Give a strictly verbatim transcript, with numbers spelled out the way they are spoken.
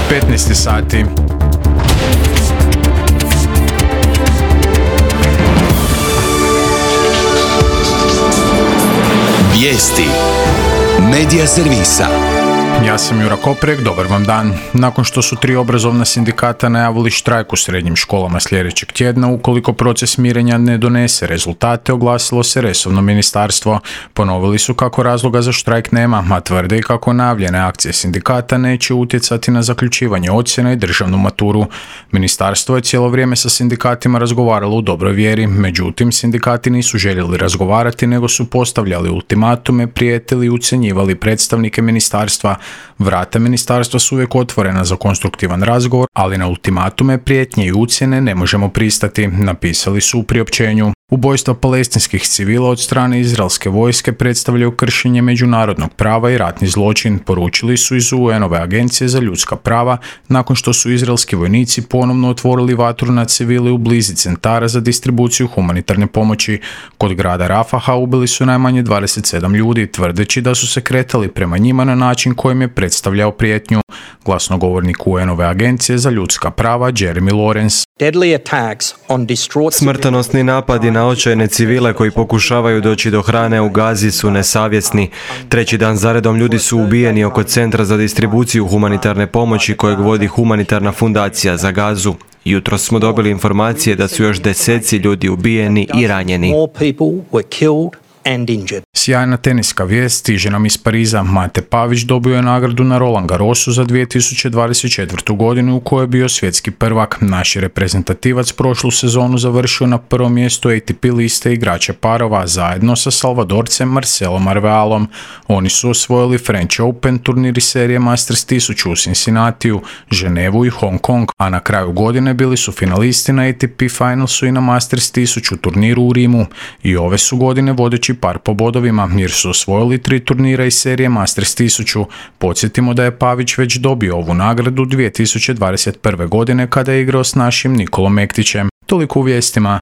petnaest sati. Vijesti Medija servisa. Ja sam Jura Koprek, dobar vam dan. Nakon što su tri obrazovna sindikata najavili štrajk u srednjim školama sljedećeg tjedna, ukoliko proces mirenja ne donese rezultate, oglasilo se resorno ministarstvo. Ponovili su kako razloga za štrajk nema, a tvrde i kako najavljene akcije sindikata neće utjecati na zaključivanje ocjena i državnu maturu. Ministarstvo je cijelo vrijeme sa sindikatima razgovaralo u dobroj vjeri, međutim sindikati nisu željeli razgovarati nego su postavljali ultimatume, prijetili i ucjenjivali predstavnike ministarstva. Vrata ministarstva su uvijek otvorena za konstruktivan razgovor, ali na ultimatume, prijetnje i ucjene ne možemo pristati, napisali su u priopćenju. Ubojstva palestinskih civila od strane izraelske vojske predstavljaju kršenje međunarodnog prava i ratni zločin, poručili su iz U N-ove agencije za ljudska prava nakon što su izraelski vojnici ponovno otvorili vatru na civile u blizi centara za distribuciju humanitarne pomoći. Kod grada Rafaha ubili su najmanje dvadeset sedam ljudi, tvrdeći da su se kretali prema njima na način kojim je predstavljao prijetnju. Glasnogovornik U N-ove agencije za ljudska prava Jeremy Lawrence. Smrtonosni napadi na očajne civile koji pokušavaju doći do hrane u Gazi su nesavjesni. Treći dan zaredom ljudi su ubijeni oko centra za distribuciju humanitarne pomoći kojeg vodi humanitarna fundacija za Gazu. Jutros smo dobili informacije da su još deseci ljudi ubijeni i ranjeni. Sjajna teniska vijest stiže nam iz Pariza. Mate Pavić dobio je nagradu na Roland Garrosu za dvije tisuće dvadeset četvrtu. godinu u kojoj je bio svjetski prvak. Naš je reprezentativac prošlu sezonu završio na prvom mjestu A T P liste igrača parova zajedno sa Salvadorcem Marcelom Arvealom. Oni su osvojili French Open, turniri serije Masters tisuću u Cincinnatiju, Ženevu i Hong Kong, a na kraju godine bili su finalisti na A T P Finalsu i na Masters tisuću turniru u Rimu. I ove su godine vodeći par po bodovima jer su osvojili tri turnira iz serije Masters tisuću. Podsjetimo da je Pavić već dobio ovu nagradu dvije tisuće dvadeset prve. godine kada je igrao s našim Nikolom Mektićem. Toliko u vijestima.